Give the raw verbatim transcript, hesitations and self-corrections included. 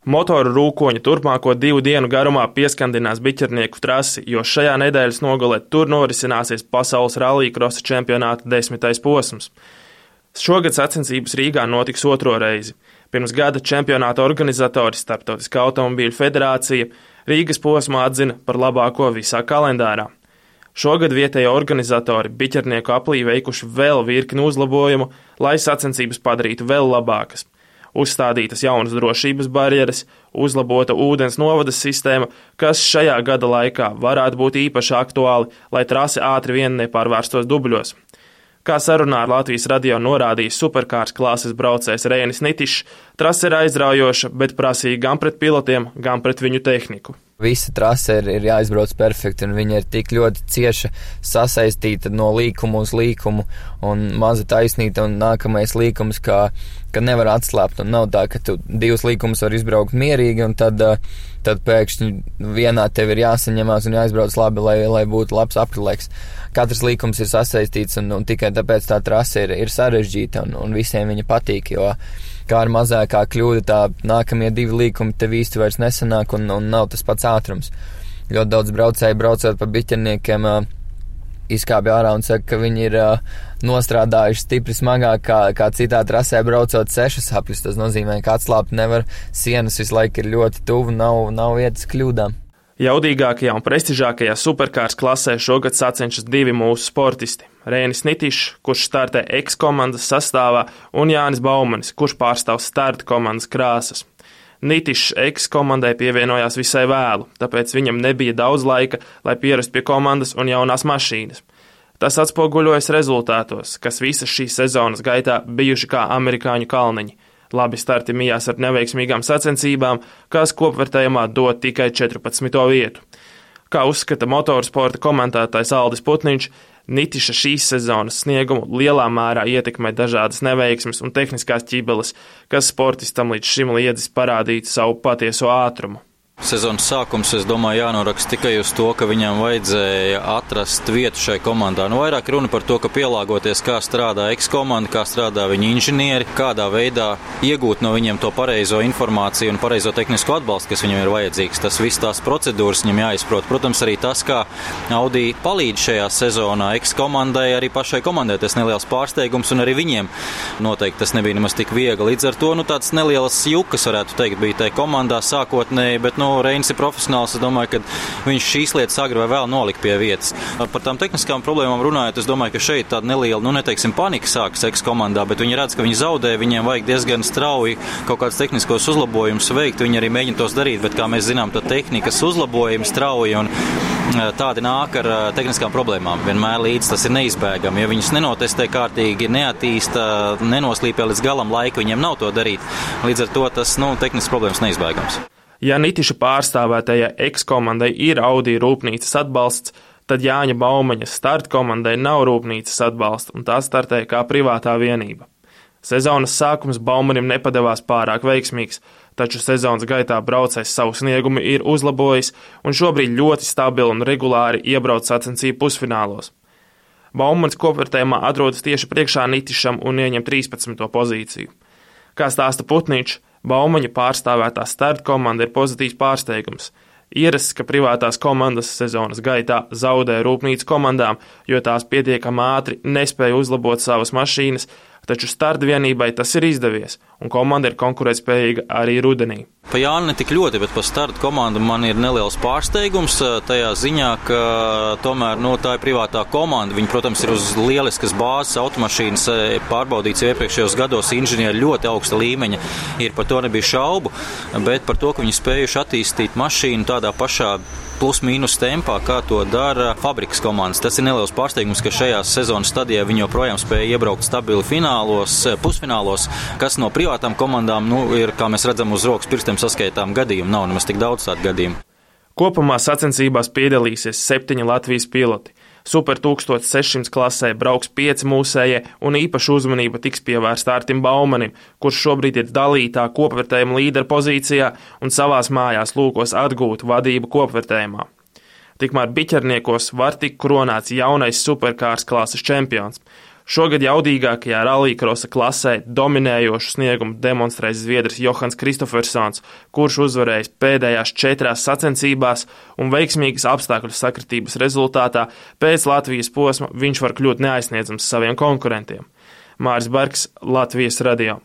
Motoru rūkoņi turpmāko divu dienu garumā pieskandinās biķernieku trasi, jo šajā nedēļas nogalē tur norisināsies pasaules rallycrossa čempionāta desmitais posms. Šogad sacensības Rīgā notiks otro reizi. Pirms gada čempionāta organizatori Starptautiskā automobīļu federācija Rīgas posmu atzina par labāko visā kalendārā. Šogad vietējo organizatori biķernieku aplī veikuši vēl virkni uzlabojumu, lai sacensības padarītu vēl labākas. Uzstādītas jaunas drošības barjeras, uzlabota ūdens novadas sistēma, kas šajā gada laikā varētu būt īpaši aktuāli, lai trasi ātri vien nepārvērstos dubļos. Kā sarunā ar Latvijas radio norādīja superkārs klases braucējs Reinis Nitišs, trase ir aizraujoša, bet prasīga gan pret pilotiem, gan pret viņu tehniku. Visa trase ir, ir jāizbrauc perfekti, un viņa ir tik ļoti cieša sasaistīta no līkumu uz līkumu, un maza taisnīta, un nākamais līkums, kā, ka nevar atslāpt, un nav tā, ka tu divus līkumus var izbraukt mierīgi, un tad, tad pēkšņi vienā tev ir jāsaņemās un jāizbrauc labi, lai, lai būtu labs aprilēks. Katrs līkums ir sasaistīts, un, un tikai tāpēc tā trase ir, ir sarežģīta, un, un visiem viņa patīk, jo kā ar mazākā kļūda, tā nākamie divi līkumi tev īsti vairs nesanāk, un, un nav tas pats ātrums. Ļoti daudz braucēji braucot pa biķerniekiem izkāpja ārā un saka, ka viņi ir nostrādājuši stipri smagāk kā, kā citā trasē braucot sešas apļus. Tas nozīmē, ka atslāpt nevar, sienas visu laiku ir ļoti tuvu, nav, nav vietas kļūdām. Jaudīgākajā un prestižākajā superkārs klasē šogad sacenšas divi mūsu sportisti. Reinis Nitišs, kurš startē X-komandas sastāvā, un Jānis Baumanis, kurš pārstāv starta komandas krāsas. Nitišs X-komandai pievienojās visai vēlu, tāpēc viņam nebija daudz laika, lai pierastu pie komandas un jaunās mašīnas. Tas atspoguļojas rezultātos, kas visas šīs sezonas gaitā bijuši kā amerikāņu kalniņi. Labi starti mijās ar neveiksmīgām sacensībām, kas kopvērtējumā dod tikai četrpadsmito vietu. Kā uzskata motorsporta komentētājs Aldis Putniņš, Nitiša šīs sezonas sniegumu lielā mērā ietekmē dažādas neveiksmes un tehniskās ķibeles, kas sportistam līdz šim liedzis parādīt savu patieso ātrumu. Sezonas sākums, es domāju, jānoraksta tikai uz to, ka viņam vajadzēja atrast vietu šai komandā. Nu, vairāk runa par to, ka pielāgoties, kā strādā X-komanda, kā strādā viņa inženieri, kādā veidā iegūt no viņiem to pareizo informāciju un pareizo tehnisko atbalstu, kas viņam ir vajadzīgs. Tas viss tās procedūras viņam jāizprot. Protams, arī tas, kā Audi palīdz šajā sezonā X-komandai, arī pašai komandai tas neliels pārsteigums, un arī viņiem noteikti tas nebija nemaz tik viegli. Līdz ar to, nu, tāds nelielas jukas, varētu teikt, bija tai komandā sākotnēji, bet, nu, Reinis ir profesionāls, es domāju, ka viņš šīs lietas agri vai vēl nolika pie vietas. Par tām tehniskām problēmām runājot, es domāju, ka šeit tāda neliela, nu neteiksim, panika sākas X-komandā, bet viņi redz, ka viņi zaudē, viņiem vajag diezgan strauji kaut kāds tehniskos uzlabojumus veikt, viņi arī mēģina tos darīt, bet, kā mēs zinām, tad tehnikas uzlabojumi strauji un tādi nāk ar tehniskām problēmām. Vienmēr līdz tas ir neizbēgami. Ja viņus nenotestē kārtīgi, neattīsta, nenoslīpē līdz galam laika, viņiem nav to darīt. Līdz ar to tas, nu, tehniskas problēmas neizbēgams. Ja Nitiša pārstāvētajai X-komandai ir Audi rūpnīcas atbalsts, tad Jāņa Baumaņa starta komandai nav rūpnīcas atbalsta, un tā startē kā privātā vienība. Sezonas sākums Baumanim nepadevās pārāk veiksmīgs, taču sezonas gaitā braucējs savu sniegumu ir uzlabojis un šobrīd ļoti stabili un regulāri iebrauc sacensību pusfinālos. Baumanis kopvērtējumā atrodas tieši priekšā Nitišam un ieņem trīspadsmito pozīciju. Kā stāsta Putniņš, Baumaņa pārstāvētā starta komanda ir pozitīvs pārsteigums. Ierasts, ka privātās komandas sezonas gaitā zaudē rūpnīcu komandām, jo tās pietiekami ātri nespēja uzlabot savas mašīnas, taču starta vienībai tas ir izdevies, un komanda ir konkurētspējīga arī rudenī. Pa Jāni ne tik ļoti, bet pa starta komandu man ir neliels pārsteigums tajā ziņā, ka tomēr, nu, tā ir privātā komanda. Viņi, protams, ir uz lieliskas bāzes automašīnas pārbaudīts jau iepriekšējos gados, inženieri ļoti augsta līmeņa, ir par to nebija šaubu, bet par to, ka viņi spējuši attīstīt mašīnu tādā pašā plus-mínus tempā, kā to dara fabrikas komandas. Tas ir neliels pārsteigums, ka šajā sezonas stadijā viņi joprojām spēja iebraukt stabili finālos, pusfinālos, kas no privātām komandām, nu, ir, kā mēs redzam, uz rokas pirkstiem saskaitām gadījumu. Nav nemaz tik daudz tādu gadījumu. Kopumā sacensībās piedalīsies septiņi Latvijas piloti. Super tūkstoš sešsimt klasē brauks pieci mūsējie, un īpaša uzmanība tiks pievērsta Artim Baumanim, kurš šobrīd ir dalītā kopvērtējuma līdera pozīcijā un savās mājās lūkos atgūt vadību kopvērtējumā. Tikmēr biķerniekos var tikt kronāts jaunais superkārs klases čempions. Šogad jaudīgākajā rallycrossa klasē dominējošu sniegumu demonstrēs zviedrs Johans Kristofersons, kurš uzvarējis pēdējās četrās sacensībās un veiksmīgas apstākļu sakritības rezultātā pēc Latvijas posma viņš var kļūt neaizsniedzams saviem konkurentiem. Māris Bergs, Latvijas radio.